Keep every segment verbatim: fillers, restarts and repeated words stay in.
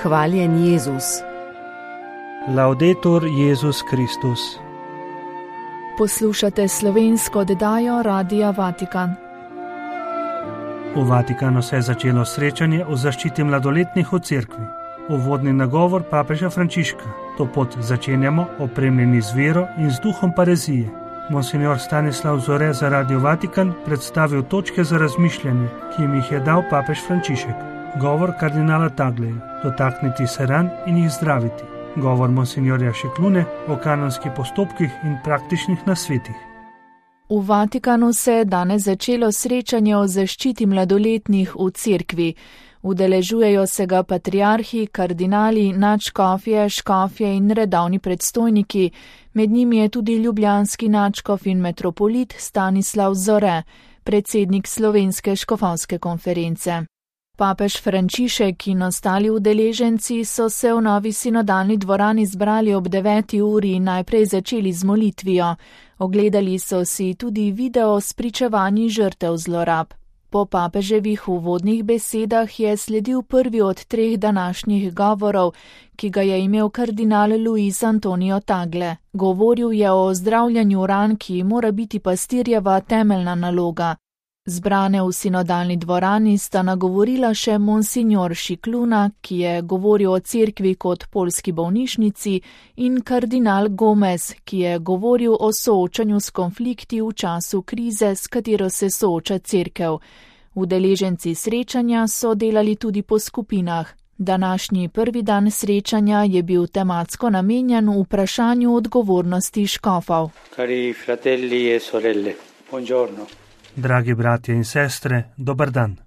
Hvaljen Jezus. Laudetur Jezus Kristus. Poslušate slovensko oddajo Radia Vatikan. V Vatikanu se je začelo srečanje o zaščiti mladoletnih v cerkvi. Uvodni nagovor papeža Frančiška. To pot začenjamo opremljeni z vero in z duhom parezije. Monsignor Stanislav Zore za Radio Vatikan predstavil točke za razmišljanje, ki jim jih je dal papež Frančišek. Govor kardinala Tagleja, dotakniti se ran in jih zdraviti. Govor monsignorja Šiklune o kanonskih postopkih in praktičnih nasvetih. V Vatikanu se je danes začelo srečanje o zaščiti mladoletnih v cerkvi. Udeležujejo se ga patriarhi, kardinali, nadškofje, škofje in redovni predstojniki. Med njimi je tudi ljubljanski nadškof in metropolit Stanislav Zore, predsednik Slovenske škofovske konference. Papež Frančišek in ostali udeleženci so se v novi sinodalni dvorani zbrali ob deveti uri in najprej začeli z molitvijo. Ogledali so si tudi video s pričevanji žrtev zlorab. Po papeževih uvodnih besedah je sledil prvi od treh današnjih govorov, ki ga je imel kardinal Luis Antonio Tagle. Govoril je o zdravljanju ran, ki mora biti pastirjeva temeljna naloga. Zbrane v sinodalni dvorani sta nagovorila še monsignor Šikluna, ki je govoril o cerkvi kot poljski bolnišnici, in kardinal Gomez, ki je govoril o soočanju s konflikti v času krize, s katero se sooča cerkev. Udeleženci srečanja so delali tudi po skupinah. Današnji prvi dan srečanja je bil tematsko namenjen vprašanju odgovornosti škofov. Cari fratelli e sorelle, buongiorno. Dragi bratje in sestre, dober dan.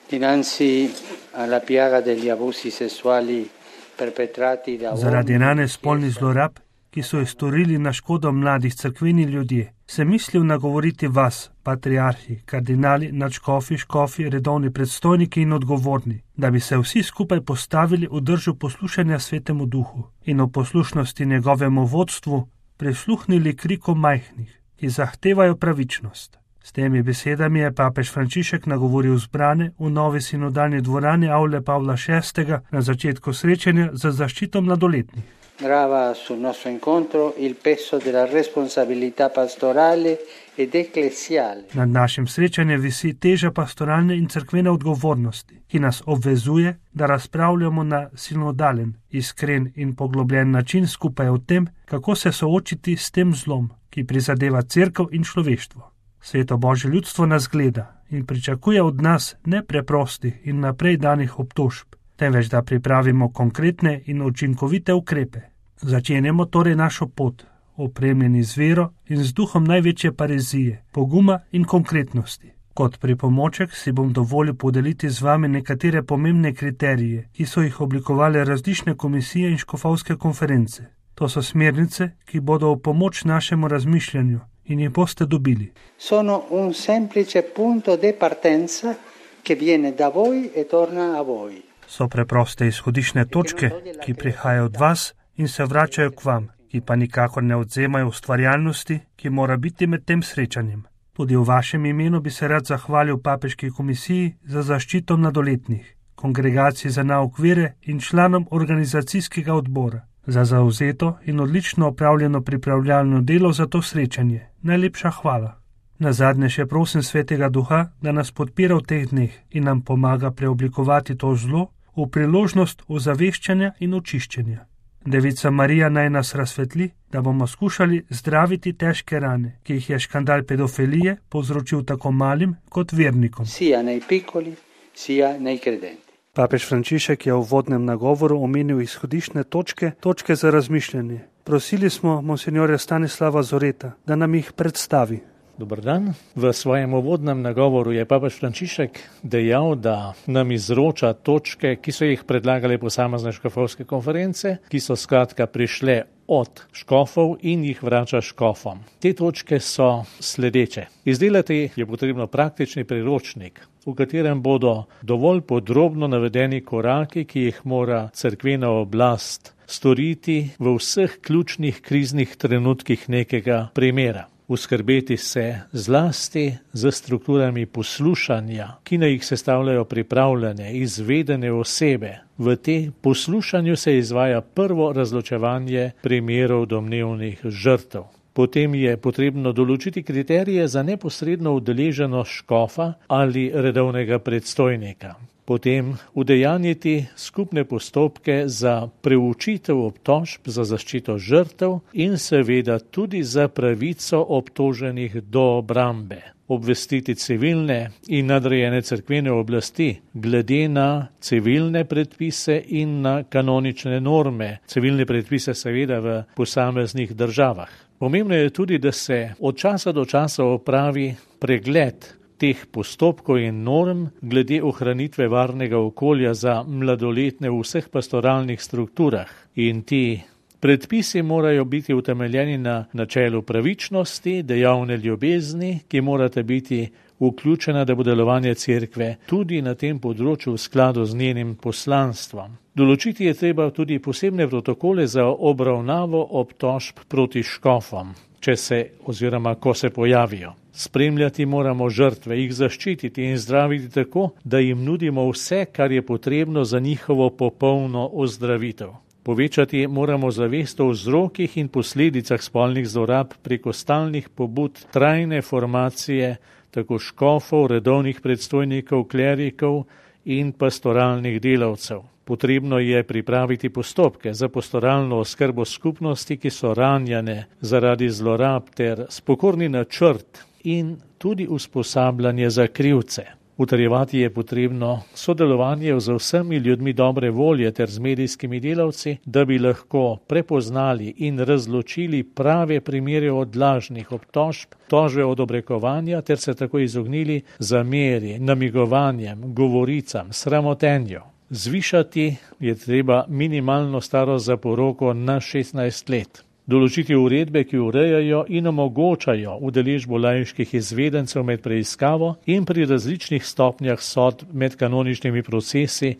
Dinanzi alla piaga degli abusi sessuali perpetrati da Zaradi rane spolnih zlorab, ki so jih storili na škodo mladih cerkveni ljudje, sem mislil nagovoriti vas, patriarhi, kardinali, nadškofi, škofi, redovni predstojniki in odgovorni, da bi se vsi skupaj postavili v držu poslušanja Svetemu Duhu in v poslušnosti njegovemu vodstvu prisluhnili krikom majhnih, ki zahtevajo pravičnost. S temi besedami je papež Frančišek nagovoril zbrane v novi sinodalni dvorani Avle Pavla šestega na začetku srečanja za zaščito mladoletnih. Grava sul nostro incontro il peso della responsabilità pastorale ed ecclesiale. Nad našim srečanjem visi teža pastoralne in cerkvene odgovornosti, ki nas obvezuje, da razpravljamo na sinodalen, iskren in poglobljen način skupaj o tem, kako se soočiti s tem zlom, ki prizadeva cerkev in človeštvo. Sveto Božje ljudstvo nas gleda in pričakuje od nas ne preprostih in naprej danih obtožb, temveč da pripravimo konkretne in učinkovite ukrepe. Začenjamo torej našo pot, opremljeni z vero in z duhom največje parezije, poguma in konkretnosti. Kot pripomoček si bom dovolil podeliti z vami nekatere pomembne kriterije, ki so jih oblikovali različne komisije in škofovske konference. To so smernice, ki bodo v pomoč našemu razmišljanju in jih boste dobili. Sono un semplice punto de partenza che viene da voi e torna a voi. So preproste izhodišne točke, ki prihajajo od vas in se vračajo k vam, ki pa nikakor ne odzemajo ustvarjalnosti, ki mora biti med tem srečanjem. Tudi v vašem imenu bi se rad zahvalil Papeški komisiji za zaščito mladoletnih, kongregaciji za nauk vere in članom organizacijskega odbora za zavzeto in odlično opravljeno pripravljalno delo za to srečanje. Najlepša hvala. Nazadnje še prosim Svetega Duha, da nas podpira v teh dneh in nam pomaga preoblikovati to zlo v priložnost ozaveščanja in očiščenja. Devica Marija naj nas razsvetli, da bomo skušali zdraviti težke rane, ki jih je škandal pedofilije povzročil tako malim kot vernikom. Sia nei piccoli, sia nei credenti. Papež Frančišek je v uvodnem nagovoru omenil izhodišne točke, točke za razmišljanje. Prosili smo monsignorja Stanislava Zoreta, da nam jih predstavi. Dobar dan. V svojem uvodnem nagovoru je papež Frančišek dejal, da nam izroča točke, ki so jih predlagale posamezne škofovske konference, ki so skratka prišle od škofov in jih vrača škofom. Te točke so sledeče. Izdelati je potrebno praktični priročnik, v katerem bodo dovolj podrobno navedeni koraki, ki jih mora cerkvena oblast storiti v vseh ključnih kriznih trenutkih nekega primera. uskrbeti se zlasti z strukturami poslušanja, ki na jih sestavljajo pripravljene, izvedene osebe. V tem poslušanju se izvaja prvo razločevanje primerov domnevnih žrtev. Potem je potrebno določiti kriterije za neposredno udeleženost škofa ali redovnega predstojnika. Potem udejanjiti skupne postopke za preučitev obtožb za zaščito žrtev in seveda tudi za pravico obtoženih do obrambe. Obvestiti civilne in nadrejene cerkvene oblasti glede na civilne predpise in na kanonične norme, civilne predpise seveda v posameznih državah. Pomembno je tudi, da se od časa do časa opravi pregled teh postopkov in norm glede ohranitve varnega okolja za mladoletne v vseh pastoralnih strukturah. In ti predpisi morajo biti utemeljeni na načelu pravičnosti, dejavne ljubezni, ki morate biti vključena, da bo delovanje cerkve tudi na tem področju v skladu z njenim poslanstvom. Določiti je treba tudi posebne protokole za obravnavo obtožb proti škofom, če se oziroma ko se pojavijo. Spremljati moramo žrtve, jih zaščititi in zdraviti tako, da jim nudimo vse, kar je potrebno za njihovo popolno ozdravitev. Povečati moramo zavest o vzrokih in posledicah spolnih zlorab preko stalnih pobud, trajne formacije, tako škofov, redovnih predstojnikov, klerikov in pastoralnih delavcev. Potrebno je pripraviti postopke za pastoralno oskrbo skupnosti, ki so ranjene zaradi zlorab, ter spokorni načrt in tudi usposabljanje za krivce. Utrjevati je potrebno sodelovanje z vsemi ljudmi dobre volje ter z medijskimi delavci, da bi lahko prepoznali in razločili prave primere od lažnih obtožb, tožbe od obrekovanja ter se tako izognili zameri, namigovanjem, govoricam, sramotenju. Zvišati je treba minimalno starost za poroko na šestnajst let. Določiti uredbe, ki urejajo in omogočajo udeležbo laiških izvedencev med preiskavo in pri različnih stopnjah sodb med kanoničnimi procesi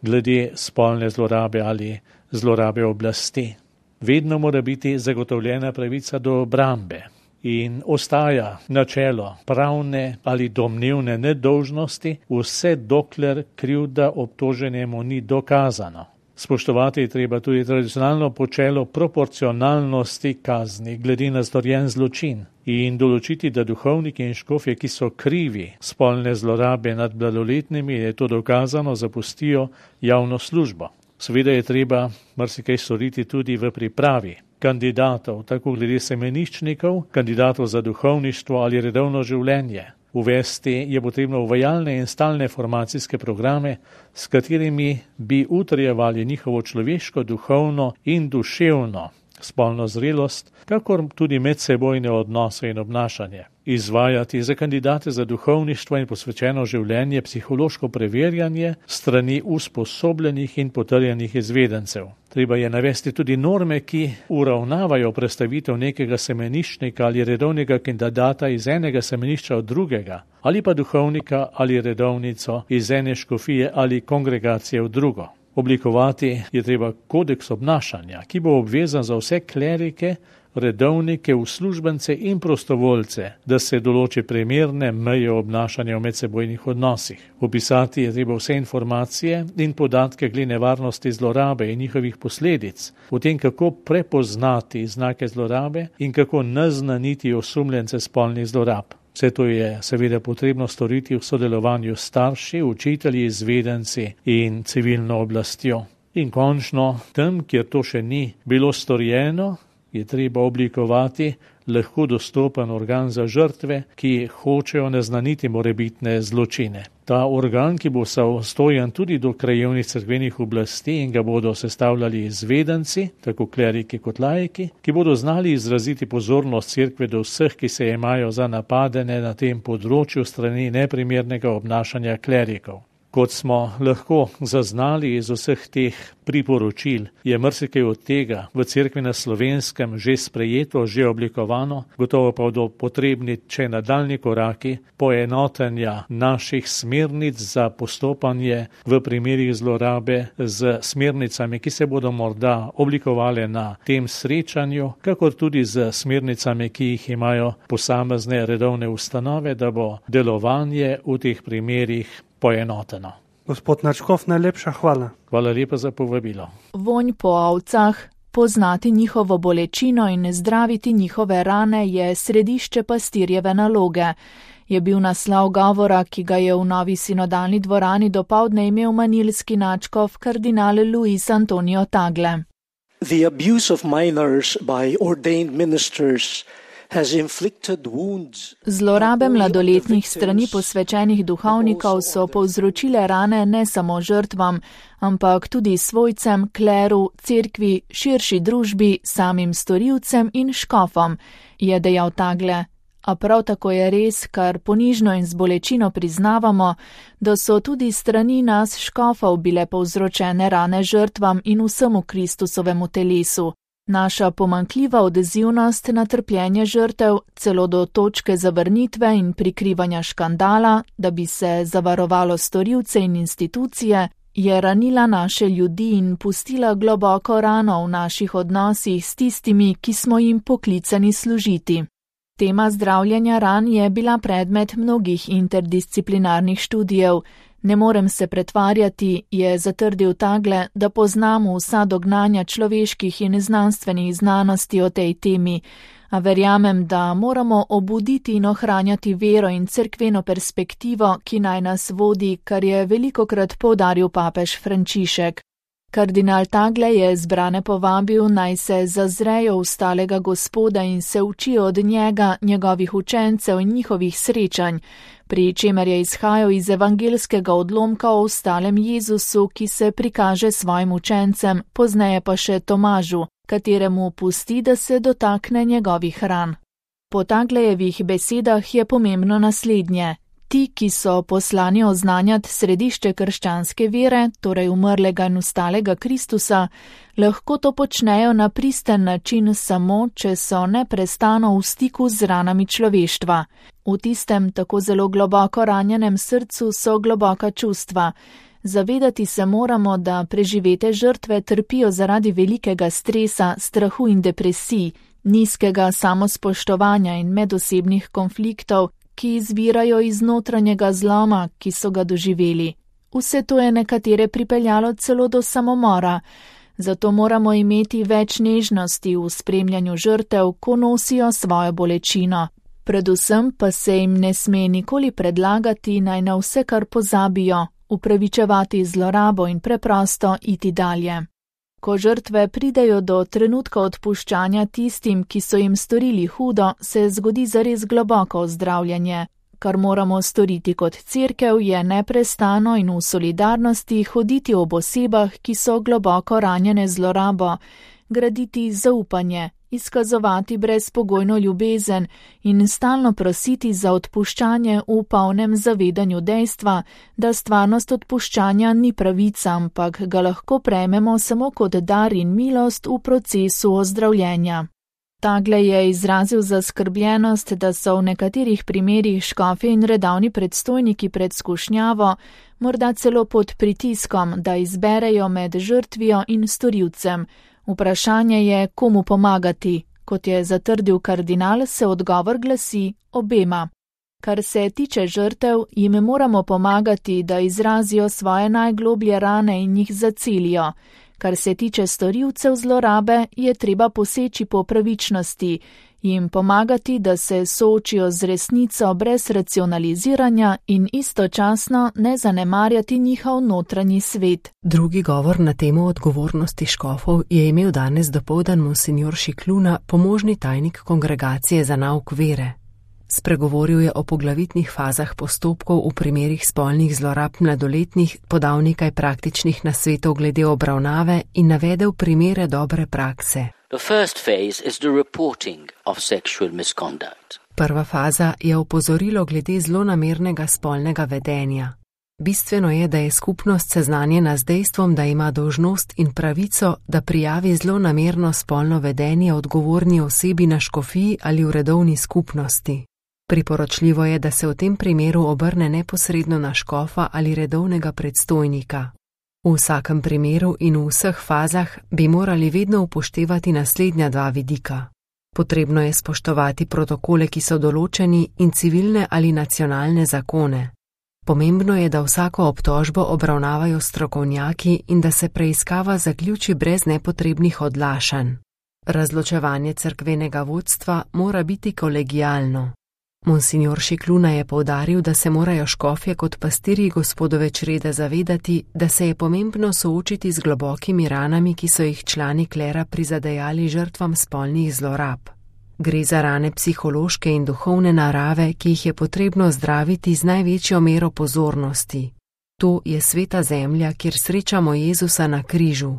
glede spolne zlorabe ali zlorabe oblasti. Vedno mora biti zagotovljena pravica do obrambe in ostaja načelo pravne ali domnevne nedolžnosti, vse dokler krivda obtoženemu ni dokazano. Spoštovati je treba tudi tradicionalno počelo proporcionalnosti kazni glede na storjen zločin in določiti, da duhovniki in škofje, ki so krivi spolne zlorabe nad mladoletnimi, je to dokazano, zapustijo javno službo. Seveda je treba marsikaj storiti tudi v pripravi kandidatov, tako glede semeniščnikov, kandidatov za duhovništvo ali redovno življenje. Uvesti je potrebno uvajalne in stalne formacijske programe, s katerimi bi utrjevali njihovo človeško, duhovno in duševno spolno zrelost, kakor tudi medsebojne odnose in obnašanje. Izvajati za kandidate za duhovništvo in posvečeno življenje psihološko preverjanje strani usposobljenih in potrjenih izvedencev. Treba je navesti tudi norme, ki uravnavajo prestavitev nekega semeniščnika ali redovnega kandidata iz enega semenišča od drugega, ali pa duhovnika ali redovnico iz ene škofije ali kongregacije v drugo. Oblikovati je treba kodeks obnašanja, ki bo obvezan za vse klerike, redovnike, uslužbence in prostovoljce, da se določi primerne meje obnašanja v medsebojnih odnosih. Opisati je treba vse informacije in podatke glede nevarnosti zlorabe in njihovih posledic, o tem, kako prepoznati znake zlorabe in kako naznaniti osumljence spolnih zlorab. Vse to je seveda potrebno storiti v sodelovanju s starši, učitelji, izvedenci in civilno oblastjo. In končno, tam, kjer to še ni bilo storjeno, je treba oblikovati lahko dostopen organ za žrtve, ki hočejo naznaniti morebitne zločine. Ta organ, ki bo samostojen tudi do krajevnih cerkvenih oblasti in ga bodo sestavljali izvedenci, tako kleriki kot laiki, ki bodo znali izraziti pozornost cerkve do vseh, ki se imajo za napadene na tem področju strani neprimernega obnašanja klerikov. Kot smo lahko zaznali iz vseh teh priporočil, je marsikaj od tega v Cerkvi na Slovenskem že sprejeto, že oblikovano, gotovo pa bodo potrebni še nadaljnji koraki poenotenja naših smernic za postopanje v primerih zlorabe z smernicami, ki se bodo morda oblikovale na tem srečanju, kakor tudi z smernicami, ki jih imajo posamezne redovne ustanove, da bo delovanje v teh primerih poenoteno. Gospod Načkov, najlepša hvala. Hvala lepa za povabilo. Vonj po ovcah, poznati njihovo bolečino in zdraviti njihove rane je središče pastirjeve naloge, je bil naslov govora, ki ga je v novi sinodalni dvorani dopoldne imel manilski nadškof kardinal Luis Antonio Tagle. The abuse of minors by ordained ministers has inflicted wounds. Zlorabe mladoletnih strani posvečenih duhovnikov so povzročile rane ne samo žrtvam, ampak tudi svojcem, kleru, cerkvi, širši družbi, samim storilcem in škofom, je dejal Tagle. A prav tako je res, kar ponižno in z bolečino priznavamo, da so tudi strani nas škofov bile povzročene rane žrtvam in vsemu Kristusovemu telesu. Naša pomanjkljiva odzivnost na trpljenje žrtev, celo do točke zavrnitve in prikrivanja škandala, da bi se zavarovalo storilce in institucije, je ranila naše ljudi in pustila globoko rano v naših odnosih s tistimi, ki smo jim poklicani služiti. Tema zdravljenja ran je bila predmet mnogih interdisciplinarnih študijev. Ne morem se pretvarjati, je zatrdil Tagle, da poznamo vsa dognanja človeških in znanstvenih znanosti o tej temi, a verjamem, da moramo obuditi in ohranjati vero in cerkveno perspektivo, ki naj nas vodi, kar je velikokrat poudaril papež Frančišek. Kardinal Tagle je zbrane povabil, naj se zazrejo v stalega Gospoda in se učijo od njega, njegovih učencev in njihovih srečanj, pri čemer je izhajal iz evangelskega odlomka o ostalem Jezusu, ki se prikaže svojim učencem, pozneje pa še Tomažu, kateremu pusti, da se dotakne njegovih ran. Po Taglejevih besedah je pomembno naslednje. Ti, ki so poslani oznanjati središče krščanske vere, torej umrlega in ustalega Kristusa, lahko to počnejo na pristen način samo, če so neprestano v stiku z ranami človeštva. V tistem tako zelo globoko ranjenem srcu so globoka čustva. Zavedati se moramo, da preživete žrtve trpijo zaradi velikega stresa, strahu in depresij, nizkega samospoštovanja in medosebnih konfliktov, ki izvirajo iz notranjega zloma, ki so ga doživeli. Vse to je nekatere pripeljalo celo do samomora, zato moramo imeti več nežnosti v spremljanju žrtev, ko nosijo svojo bolečino. Predvsem pa se jim ne sme nikoli predlagati, naj na vse kar pozabijo, upravičevati zlorabo in preprosto iti dalje. Ko žrtve pridejo do trenutka odpuščanja tistim, ki so jim storili hudo, se zgodi zares globoko ozdravljanje. Kar moramo storiti kot cerkev, je neprestano in v solidarnosti hoditi ob osebah, ki so globoko ranjene zlorabo, graditi zaupanje, izkazovati brezpogojno ljubezen in stalno prositi za odpuščanje v polnem zavedanju dejstva, da stvarnost odpuščanja ni pravica, ampak ga lahko prejmemo samo kot dar in milost v procesu ozdravljenja. Tagle je izrazil zaskrbljenost, da so v nekaterih primerih škofje in redavni predstojniki pred skušnjavo, morda celo pod pritiskom, da izberejo med žrtvijo in storilcem. Vprašanje je, komu pomagati. Kot je zatrdil kardinal, se odgovor glasi obema. Kar se tiče žrtev, jim moramo pomagati, da izrazijo svoje najgloblje rane in jih zacelijo. Kar se tiče storilcev zlorabe, je treba poseči po pravičnosti, jim pomagati, da se soočijo z resnico brez racionaliziranja in istočasno ne zanemarjati njihov notranji svet. Drugi govor na temo odgovornosti škofov je imel danes dopoldan monsignor Šikluna, pomožni tajnik Kongregacije za nauk vere. Spregovoril je o poglavitnih fazah postopkov v primerih spolnih zlorab mladoletnih, podal nekaj praktičnih nasvetov glede obravnave in navedel primere dobre prakse. The first phase is the reporting of sexual misconduct. Prva faza je opozorilo glede zlonamernega spolnega vedenja. Bistveno je, da je skupnost seznanjena z dejstvom, da ima dolžnost in pravico, da prijavi zlonamerno spolno vedenje odgovorni osebi na škofiji ali v redovni skupnosti. Priporočljivo je, da se v tem primeru obrne neposredno na škofa ali redovnega predstojnika. V vsakem primeru in v vseh fazah bi morali vedno upoštevati naslednja dva vidika. Potrebno je spoštovati protokole, ki so določeni, in civilne ali nacionalne zakone. Pomembno je, da vsako obtožbo obravnavajo strokovnjaki in da se preiskava zaključi brez nepotrebnih odlašanj. Razločevanje cerkvenega vodstva mora biti kolegialno. Monsignor Šikluna je poudaril, da se morajo škofje kot pastirji Gospodove črede zavedati, da se je pomembno soočiti z globokimi ranami, ki so jih člani klera prizadejali žrtvam spolnih zlorab. Gre za rane psihološke in duhovne narave, ki jih je potrebno zdraviti z največjo mero pozornosti. To je sveta zemlja, kjer srečamo Jezusa na križu.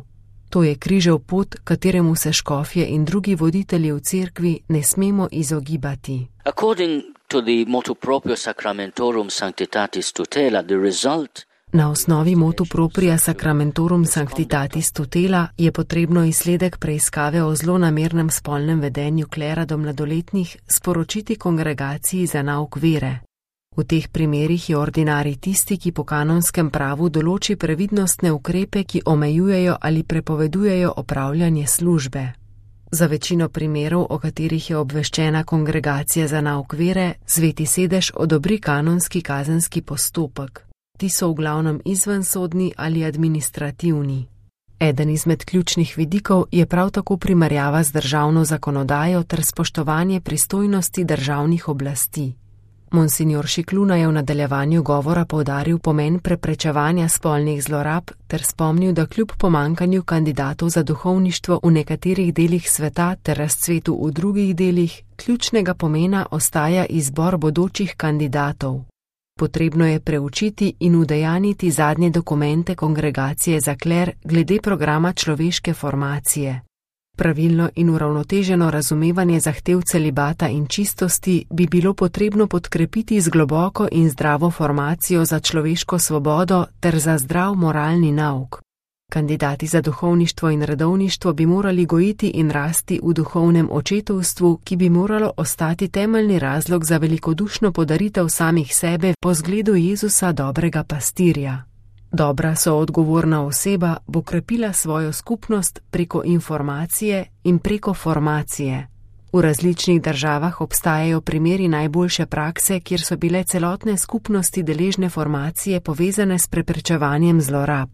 To je križev pot, kateremu se škofje in drugi voditelji v cerkvi ne smemo izogibati. According to the motu proprio Sacramentorum Sanctitatis Tutela, the result Na osnovi motu propria Sacramentorum Sanctitatis Tutela je potrebno izsledek preiskave o zlonamernem spolnem vedenju klera do mladoletnih sporočiti kongregaciji za nauk vere. V teh primerih je ordinarij tisti, ki po kanonskem pravu določi previdnostne ukrepe, ki omejujejo ali prepovedujejo opravljanje službe. Za večino primerov, o katerih je obveščena kongregacija za nauk vere, Sveti sedež odobri kanonski kazenski postopek. Ti so v glavnem izvensodni ali administrativni. Eden izmed ključnih vidikov je prav tako primerjava z državno zakonodajo ter spoštovanje pristojnosti državnih oblasti. Monsignor Šikluna je v nadaljevanju govora poudaril pomen preprečevanja spolnih zlorab ter spomnil, da kljub pomankanju kandidatov za duhovništvo v nekaterih delih sveta ter razcvetu v drugih delih, ključnega pomena ostaja izbor bodočih kandidatov. Potrebno je preučiti in udejaniti zadnje dokumente kongregacije za kler glede programa človeške formacije. Pravilno in uravnoteženo razumevanje zahtev celibata in čistosti bi bilo potrebno podkrepiti z globoko in zdravo formacijo za človeško svobodo ter za zdrav moralni nauk. Kandidati za duhovništvo in redovništvo bi morali gojiti in rasti v duhovnem očetovstvu, ki bi moralo ostati temeljni razlog za velikodušno podaritev samih sebe po zgledu Jezusa dobrega pastirja. Dobra soodgovorna oseba bo krepila svojo skupnost preko informacije in preko formacije. V različnih državah obstajajo primeri najboljše prakse, kjer so bile celotne skupnosti deležne formacije povezane s preprečevanjem zlorab.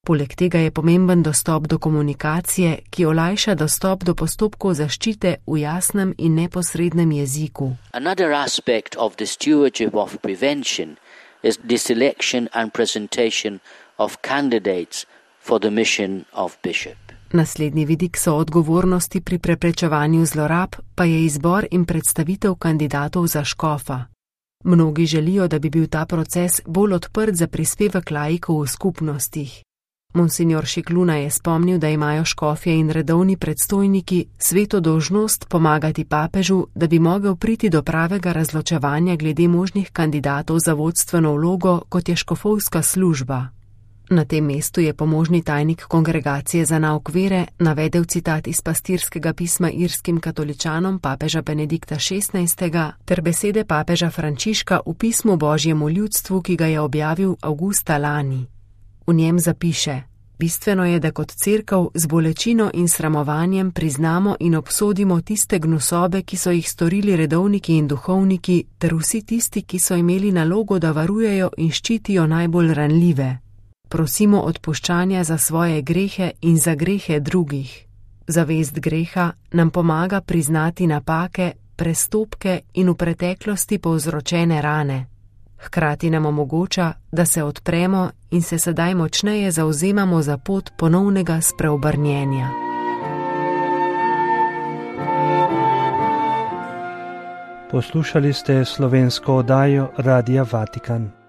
Poleg tega je pomemben dostop do komunikacije, ki olajša dostop do postopkov zaščite v jasnem in neposrednem jeziku. Another aspect of the stewardship of prevention is the selection and presentation of candidates for the mission of bishop. Naslednji vidik so odgovornosti pri preprečevanju zlorab, pa je izbor in predstavitev kandidatov za škofa. Mnogi želijo, da bi bil ta proces bolj odprt za prispevek laikov v skupnostih. Monsignor Šikluna je spomnil, da imajo škofje in redovni predstojniki sveto dolžnost pomagati papežu, da bi mogel priti do pravega razločevanja glede možnih kandidatov za vodstveno vlogo, kot je škofovska služba. Na tem mestu je pomožni tajnik kongregacije za nauk vere navedel citat iz pastirskega pisma irskim katoličanom papeža Benedikta šestnajstega ter besede papeža Frančiška v pismu Božjemu ljudstvu, ki ga je objavil avgusta lani. V njem zapiše: bistveno je, da kot cerkev z bolečino in sramovanjem priznamo in obsodimo tiste gnusobe, ki so jih storili redovniki in duhovniki, ter vsi tisti, ki so imeli nalogo, da varujejo in ščitijo najbolj ranljive. Prosimo odpuščanja za svoje grehe in za grehe drugih. Zavest greha nam pomaga priznati napake, prestopke in v preteklosti povzročene rane. Hkrati nam omogoča, da se odpremo in se sedaj močneje zavzemamo za pot ponovnega spreobrnjenja. Poslušali ste slovensko oddajo Radia Vatikan.